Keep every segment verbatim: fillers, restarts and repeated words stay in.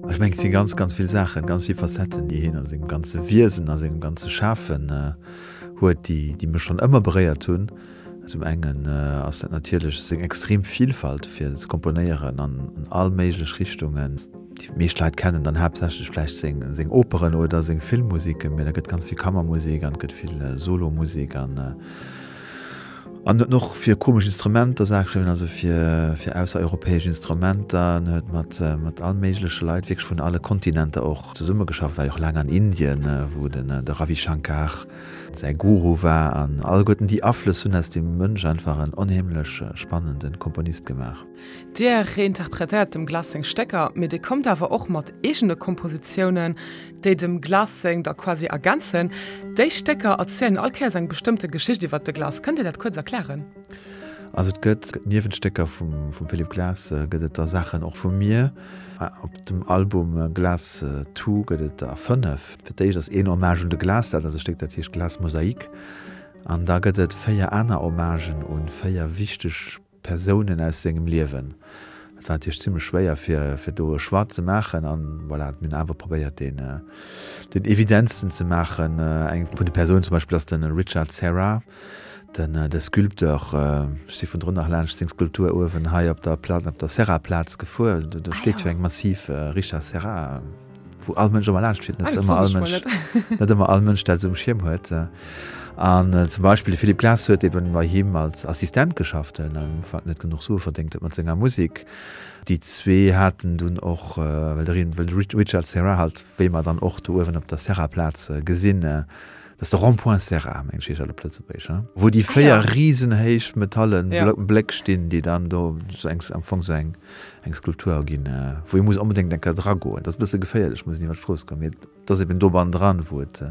Ech mengen, et si ganz, ganz vill Saachen, ganz vill Facetten, déi hien a sengem ganze Wiesen, a sengem ganze Schafen huet, déi, déi mech schonn ëmmer beréiert hunn. Zum engen ass dat natierlech seng extrem Vilfalt fir ze komponéieren an all méiglech Richtungen. Déi meescht Leit kennen dann haaptsächlech vläicht seng, seng Operen oder seng Filmmusiken, mee da gëtt ganz vill Kammermusek an et gëtt vill Solomusek an an huet och fir komesch Instrumenter Saache geschriwwen, also fir, fir aussereuropäesch Instrumenter an huet mat, mat all méigleche Leit wierklech vun alle Kontinenter och zesummegeschafft, war jo och laang an Indien, wou den, de Ravi Shankar säi Guru war an alleguerten déi Aflëss hunn aus deem Mënsch einfach en onheemlech spannende Komponist gemaach. Dir reinterpretéiert dem Glass seng Stécker, mee Dir kommt awer och mat eegene Kompositiounen, déi dem Glass seng da quasi ergänzen. Déi Stécker erzielen all Kéiers eng bestëmmte Geschicht iwwer de Glass. Kënnt Dir dat kuerz erklären? Also et gëtt niewent Stécker vum vum Philip Glass gëtt et da Saachen och vu mir. Op dem Album Glass Two gëtt et der fënnef. Fir d'éischt ass een Hommage un de Glass, dat ass e Stéck dat heescht Glass Mosaik. An da gëtt et véier aner Hommagen un véier wichteg Persounen aus sengem Liewen. Dat war natierlech zimmlech schwéier fir fir do e Choix ze maachen an voilà, mir hunn awer probéiert deen deen evidentsten ze maachen. Eng vun de Persounen zum Beispill ass de Richard Serra, den de Sculpteur. Ech si vun drun nach laanscht seng Skulptur uewen hei op der Pla op der Serra-Plaz gefuer. Do do steet jo eng massiv Richard Serra. Wou all Mënsch ëmmer laanscht fiert, net ëmmer all Mënsch, net ëmmer all Mënsch dat esou um Schierm huet. An zum Beispill de Philip Glass huet eben bei him als Assistent geschafft, well en am Ufank net genuch Sue verdéngt huet mat senger Musek. Déi zwee haten dunn och, well de well de Richard Serra halt, wéi mer dann och do uewen op der Serra-Plaz gesinn, Dat ass de Rond-point Serra, mengen ech heescht dat op Lëtzebuergesch, hein? Wou déi véier risenhéich metallen Bléck stinn, déi dann do sou eng, am Fong sou eng, eng Skulptur erginn, wou ee muss onbedéngt eng Kéier dragoen. Dat ass e bësse geféierlech, muss een iwwer d'Strooss goen, mee et ass eben do bannendran, wou et,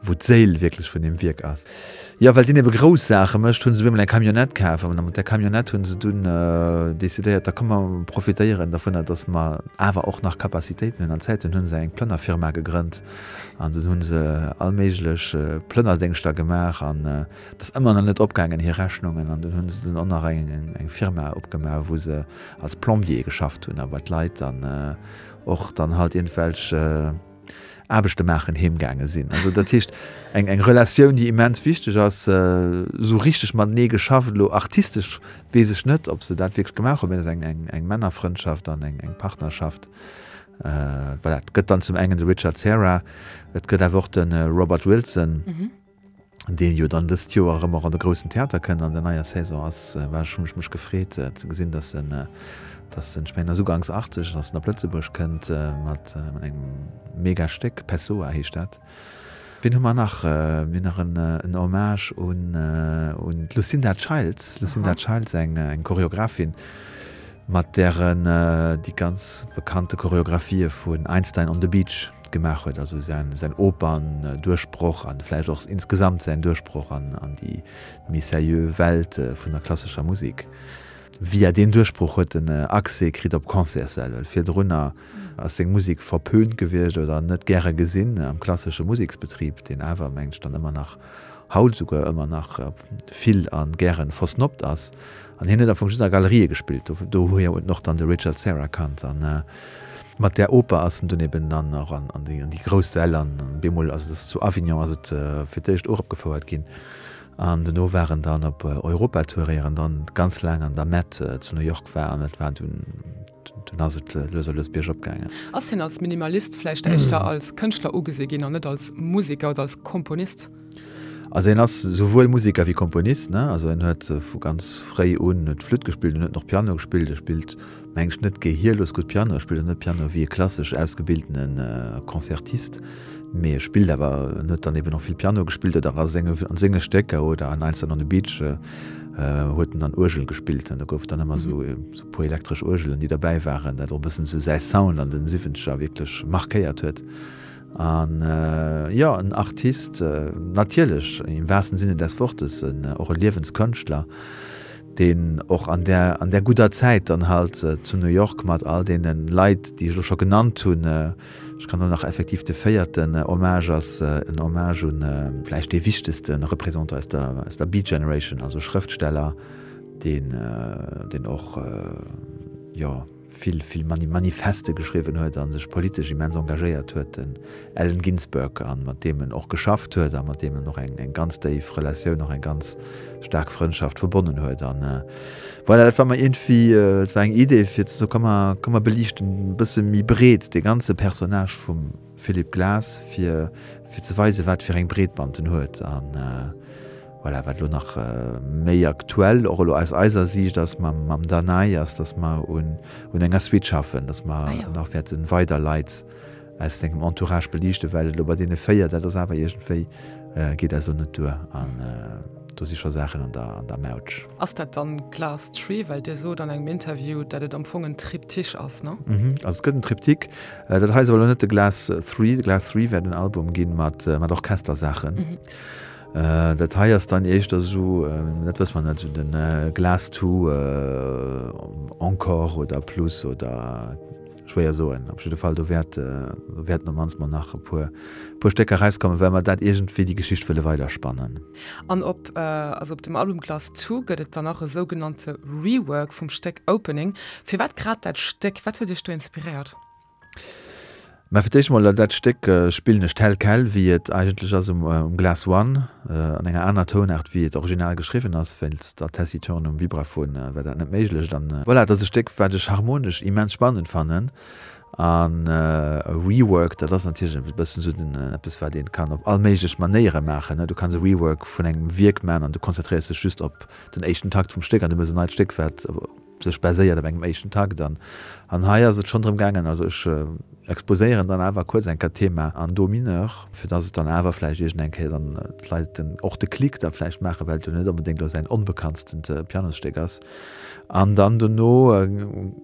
wou d'Séil wierklech vun deem Wierk ass. Jo, well deen ebe grouss Saache mécht, hu se op eemol eng Camionnette kaf an mat där Camionnette hu se dunn decidéiert, da komm mer profitéieren dovunner, dass mer awer och nach Capacitéiten hunn an Zäit hunn, hu se eng Plënnerfirma gegrënnt. An dunn hu se all méiglech Plënnerdéngschter gemaach an et ass ëmmer nach net opgaangen, hir Rechnungen. An dunn hu se dunn och nach eng Firma opgemaach, wou se als Plombier geschafft hunn a bei d'Leit dann och dann halt iergendwelch Aarbechte maachen heem gaange sinn. Also dat heescht eng eng Relatioun, déi immens wichteg ass, esou richteg matenee geschafft. Elo artistesch weess ech net, ob se dat wierklech gemaach hunn, mä et ass eng eng Männerfrëndschaft an eng Partnerschaft. Voilà, et gëtt dann zum engen de Richard Serra, et gëtt awer och de Robert Wilson, deen jo dann dëst Joer erëm och an de groussen Theater kënnt an der neier Saison ass. War ech, hunn ech mech gefreet ze gesinn, dass en, dass en, ech mengen ass uganks achtzeg, dass en op Lëtzebuerg kënnt mat engem mega Stéck, Pessoa heescht dat. Wien hu mer nach? Mir hunn nach en Hommage un d'Lucinda Childs. Lucinda Childs, eng Choreographin, mat där en déi ganz bekannte Choreographië vun Einstein on the Beach gemaach huet, also säin Opern-Duerchbroch an vläicht och insgesamt säin Duerchbroch an déi méi seriö Welt vun der klassescher Musek. Via deen Duerchbroch huet en Accès kritt op Concertssäll, well virdrunner ass seng Musek verpönt gewiescht oder net gäre gesinn am klassesche Museksbetrib, deen awer, mengen ech, dann ëmmer nach, haut esouguer ëmmer nach vill a gäre versnobbt ass. An hien huet am Fong just a Galerië gespillt, dohier huet en och dann de Richard Serra kannt. An mat där Oper ass en dunn eben dann och an déi grouss Säll an bemol, also dat ass zu Avignon ass et fir d'éischt uropgefouert ginn. An dono war en dann op Europatour, ier en dann ganz laang an der Met zu New York war. An et war dunn, dunn ass et lues a lues biergop gaangen. Ass hien als Minimalist vläicht éischter als Kënschtler ugesi ginn an net als Museker oder als Komponist? Also hien ass souwuel Museker wéi Komponist, ne? Also hien huet vu ganz fréi un huet Flütt gespillt, en huet och Piano gespillt. E spillt, meng ech, net gehierlos gutt Piano, e spillt och net Piano wéi e klassesch ausgebildene Concertist. Mee e spillt awer, en huet dann eben och vill Piano gespillt oder a senge, an senge Stécker oder an Einstein on the Beach huet en dann Uergel gespillt an do gouf dann ëmmer esou e puer elektresch Uergelen, déi derbäi waren, dat och e bëssen esou säi Sound an den Siwwenzeger wierklech markéiert huet. An jo, en Artist, natierlech, im wahrsten Sinne des Wortes, en och e Liewenskënschtler, deen och an där, an där gudder Zäit dann halt zu New York mat all deene Leit, déi ech elo scho genannt hunn, ech kann elo nach effektiv de véierten Hommage ass en Hommage un vläicht dee wichtegste Représentant aus der, aus der Beat Generation, also Schrëftsteller, deen, deen och, jo, vill vill Manifeste geschriwwen huet a sech politesch immens engagéiert huet, den Allen Ginsberg, a mat deem en och geschafft huet a mat deem en och eng eng ganz déif Relatioun, och eng ganz staark Frëndschaft verbonnen huet. An voilà, dat war mer iergendwéi, et war eng Idee fir ze soen, komm mer komm mer beliichten e bësse méi breet dee ganze Personnage vum Philip Glass, fir fir ze weisen, wat fir eng Breetband en huet. An voilà, wat elo nach méi aktuell och elo aus eiser Siicht ass mam mam Danai, ass, datt mer un un enger Suite schaffen, datt mer nach wäerte weider Leit aus sengem Entourage beliichten, well elo bei deene véier, dat ass awer iergendwéi, geet eis elo net duer an do si scho Saachen an der an der Mautsch. Ass dat dann Glass Tree? Well Dir sot an engem Interview, datt et am Fong en Triptych ass, ne? Also et gëtt en Triptyque. Dat hei ass awer elo net de Glass Three. De Glass Three wäert en Album ginn mat mat Orchestersaachen. Dat hei ass dann éischter esou, dat wësse mer net, esou de Glass Two encore oder plus oder schwéier soen. Op jidde Fall do wäert, do wäerten op mannst mol nach e puer, puer Stécker erauskommen, well mer dat iergendwéi déi Geschicht wëlle weiderspannen. An op, also op dem Album Glass Two gëtt et dann nach e sougenannte Rework vum Stéck Opening. Firwat grad dat Stéck? Wat huet Iech do inspiréiert? Mä fir d'éischt emol, dat Stéck spillen ech tel quel, wéi et eigentlech ass um Glass One, an enger aner Tounaart, wéi et original geschriwwen ass. Wéinst der Tessiturn um Vibraphon war dat net méiglech. An voilà, et ass e Stéck, wat ech harmonesch immens spannend fannen. An e Rework, dat ass natierlech e bëssen esou den, eppes, wat ee kann op all méiglech Manéiere maachen. Du kanns e Rework vun engem Wierk maachen an du konzentréiers dech just op den éischten Takt vum Stéck an du méchs en neit Stéck, wat sech baséiert op engem éischten Takt an an hei ass et schonn drëm gaangen, also ech exposéieren dann awer kuerz eng Kéier d'Thema an Do mineur, fir dass et dann awer vläicht iergend eng Kéier dann d'Leit den och de Klick da vläicht maachen, well et jo net onbedéngt elo säin onbekanntstent Pianosstéck ass. An dann dono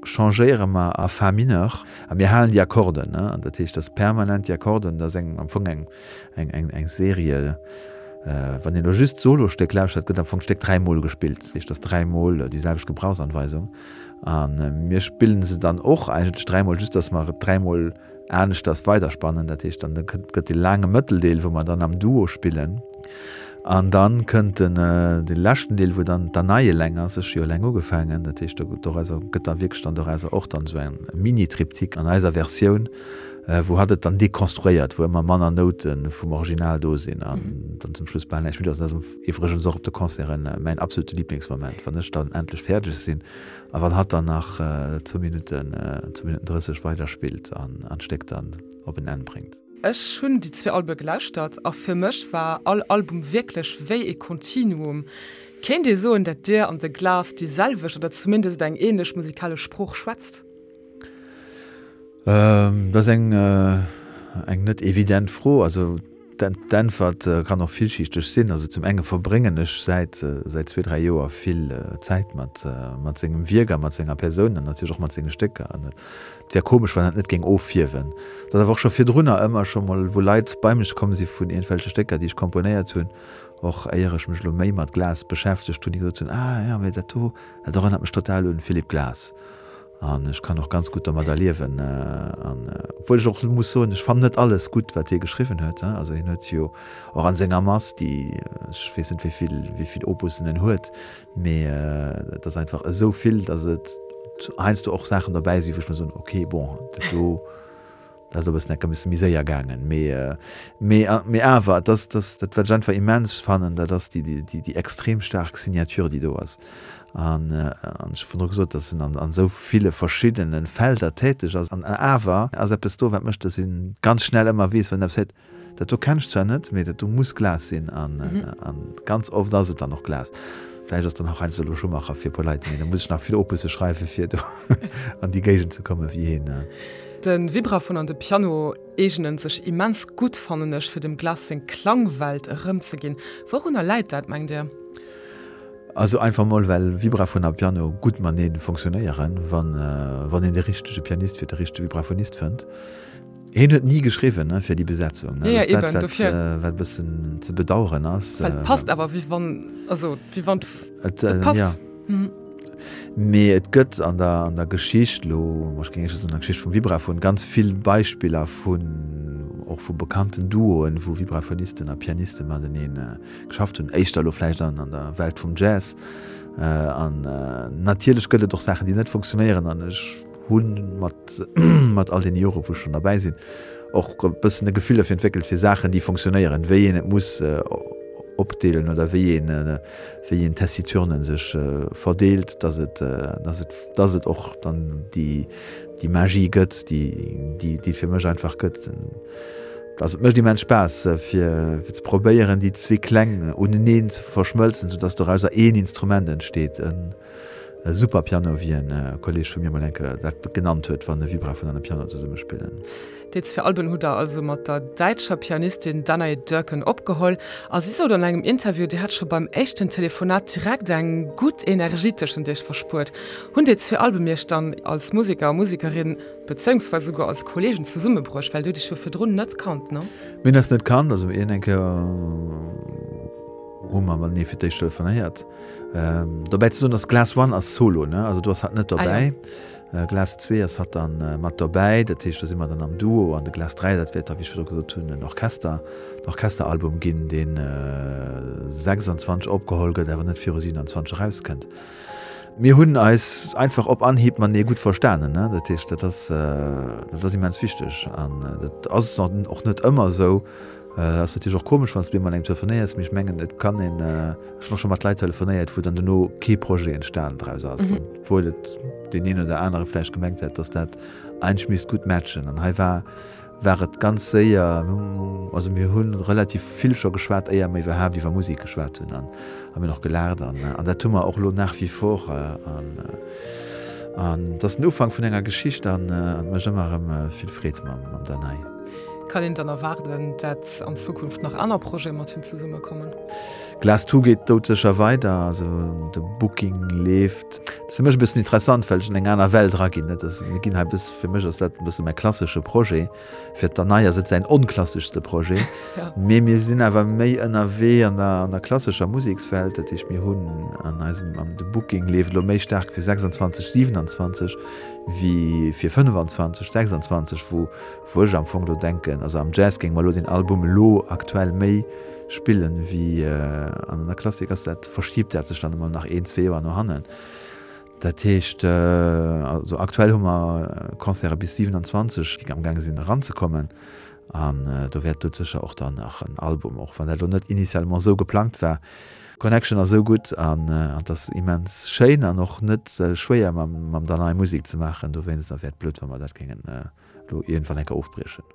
changéiere mer a Fa mineur a mir halen déi Akkorden, ne, an dat heescht, dass permanent déi Akkorden, dat ass eng am Fong eng eng eng eng Serie, Wann een elo just d'Solostéck lauschtert, gëtt am Fong d'Stéck dräi Mol gespillt. Dat heescht, et ass dräi Mol déi selwecht Gebrauchsanweisung. A mir spillen se dann och eigentlech dräi Mol, just datt mer et dräi Mol aneschters weiderspannen. Dat heescht, dann gëtt dee laange Mëtteldeel, wou mer dann am Duo spillen. An dann kënnt den dee leschten Deel, wou dann d'Anaï eleng ass. Ech hu jo eleng ugefaangen. Dat heescht, dorauser gëtt dann wierklech dann dorauser och dann esou eng Mini-Triptyque an eiser Versioun. wou hatt et dann dekonstruéiert, wou ëmmer manner Noute vum Original do sinn an dann zum Schluss bal näischt méi do ass. Dat ass iwwregens och op de Concerten mäin absolute Liblingsmoment, wann ech dann endlech fäerdeg sinn a wann hatt dann nach zwou Minutten, zwou Minutten drësseg weiderspillt an d'Stéck dann op en Enn bréngt. Ech hunn déi zwee Albe gelauschtert a fir mech war all Album wierklech wéi ee Kontinuum. Kéint ee soen, dat Dir an de Glass déi selwecht oder zumindest eng änlech musikalesch Sprooch schwätzt? Dat ass eng eng net evident Fro. Also d'Äntwert kann och villschichteg sinn. Also zum enge verbréngen ech säit säit zwee, dräi Joer vill Zäit mat mat sengem Wierk a mat senger Persoun an natierlech och mat senge Stécker. An et wär komesch, wann dat net géing offierwen. Et ass awer och scho virdrunner ëmmer scho mol, wou Leit bei mech komm si vun iergendwelche Stécker, déi ech komponéiert hunn, och éier ech mech elo méi mat Glass beschäftegt hunn, déi gesot hunn, Ah jo, mee dat do, dat erënnert mech total un Philip Glass. An ech kann och ganz gutt domadder liewen. An obwuel ech och muss soen, ech fannen net alles gutt, wat hie geschriwwen huet. Also hien huet jo och an senger Mass, déi, ech weess net wéi vill, wéi vill Opussen en huet, mee et ass einfach esou vill, datt et heiansdo och Saachen dobäi sinn, wou ech mer soen, okay, bon, dat do, Dat ass e bëssen enk e bësse méi séier gaangen, mee, mee, mee awer, et ass, dat, dat wat ech einfach immens fannen, dat ass déi, déi, déi extrem staark Signature, déi do ass. An, an ech hu virdru gesot, dass en an, an esou ville verschiddene Felder täteg ass, an awer ass eppes do, wat mécht, dass een ganz schnell ëmmer weess, wann een eppes héiert, Dat do kennen ech zwar net, mee dat do muss Glas sinn. An, an ganz oft ass et dann och Glas. Vläicht ass dann och heiansdo elo Schumacher fir e puer Leit, mee da muss ech nach vill Opusse schreiwen, fir do an déi Géigend ze kommen, wéi hien. De Vibraphon an de Piano eegenen sech immens gutt, fannen ech, fir dem Glass seng Klangwelt erëmzeginn. Wourunner läit dat, mengt Dir? Also einfach mol well Vibraphon a Piano gutt matenee fonctionnéieren, wann wann een de richtege Pianist fir de richtege Vibraphonist fënnt. Hien huet ni geschriwwen ne fir déi Besetzung, ne? Ja, Dat ass dat, eben, wat, dofir. wat e bëssen ze bedaueren ass. Well et passt awer, wéi wann, also wéi wann Et, et passt. ja. Mee et gëtt an der, an der Geschicht elo, ech géing éischter soen an der Geschicht vum Vibraphon, ganz vill Beispiller vun, och vu bekannten Duoen, wou Vibraphonisten a Pianiste matenee geschafft hunn, éischter elo vläicht an, an der Welt vum Jazz. An natierlech gëtt et och Saachen, déi net funktionéieren an ech hunn mat mat all den Jore wou ech schonn derbäi sinn och e bëssen e Gefill derfir entwéckelt fir Saachen déi funktionéieren, wéi een et muss opdeelen oder wéi een wéi een Tessiturnen sech verdeelt, dass et dass et dass et och dann déi déi Magie gëtt, déi déi déi et fir mech einfach gëtt. Also et mécht immens Spaass fir fir ze probéieren déi zwee Kläng uneneen ze verschmëlzen, soudass dorauser een Instrument entsteet, en e Superpiano, wéi en Kolleeg vu mir mol eng Kéier dat genannt huet, wann e Vibraphon an e Piano zesumme spillen. Déi zwee Alben hutt der also mat der däitscher Pianistin Danae Dörken opgeholl. A si sot an engem Interview, Dir hätt scho beim éischten Telefonat direkt eng gutt Energie tëschent iech verspuert. Hunn déi zwee Alben iech dann als Museker a Musekerin, bezéiungsweis esouguer als Kolleegen zesummebruecht? Well Dir hutt iech jo virdrun net kannt, ne? Mir hunn eis net kannt, also mir hunn eng Kéier hu mer matenee fir d'éischt telefonéiert. Dobäi ze soen, dass Glass One ass solo, ne? Also do ass hatt net dobäi. Ah, ja. Glass zwee ass hatt dann mat dobäi, dat heescht do si mer dann am Duo an de Glass dräi, dat wäert da, wéi ech virdru gesot hunn, en Orchester, en Orchesteralbum ginn, deen sechsanzwanzeg opgeholl gëtt, awer net viru siewenanzwanzeg erauskënnt. Mir hunn eis einfach op Anhieb matenee gutt verstanen, ne? Dat heescht, dat ass, dat ass immens wichteg an dat ass och net ëmmer esou. Ass natierlech och komesch, wann s de mat engem telefonéiers, mee ech mengen, et kann een, ech hunn och scho mat Leit telefonéiert, wou dann dono kee Projet entstan draus ass, obwuel et deen een oder anere vläicht gemengt hätt, dass dat eigentlech misst gutt matchen. An hei war, war et ganz séier, also mir hu relativ vill scho geschwat, éier mer iwwerhaapt iwwer Musek geschwat hunn an a mir hunn och gelaacht an an dat hu mer och elo nach wie vor an an et ass den Ufank vun enger Geschicht an et mécht ëmmer erëm vill Freed mam mam Danae. Kann een dann erwaarden, dat an Zukunft nach aner Projete mat him zesumme kommen? Glass Two geet doudsécher weider, also de Booking leeft. Dat ass fir mech e bëssen interessant, well ech an eng aner Welt eraginn. Dat ass, mir ginn hei e bëss, fir mech ass dat e bësse mäi klassesche Projet, fir d'Danae ass et säin onklasseschste Projet. Mee mir sinn awer méi ënnerwee an der, an der klassescher Musekswelt. Dat heescht, mir hunn an eisem, an de Booking leeft elo méi staark fir sechsanzwanzeg, siewenanzwanzeg wéi fir fënnefenzwanzeg, sechsanzwanzeg, wou, wou ech am Fong elo denken, also am Jazz géinge mer elo deen Album elo aktuell méi spillen wéi an der Klassik ass dat, verschiebt dat sech dann emol nach een, zwee Joer no hannen. Dat heescht, also aktuell hu mer Concerte bis siewenanzwanzeg, déi amgaange sinn eranzekommen an do wäert doudsécher och dann nach en Album, och wann dat elo net initialement esou geplangt war. D'Connection ass esou gutt an et ass immens schéin an och net schwéier mam Danai Musek ze maachen, dowéinster wär et blöd wa mer dat géingen elo iergendwann eng Kéier ofbriechen.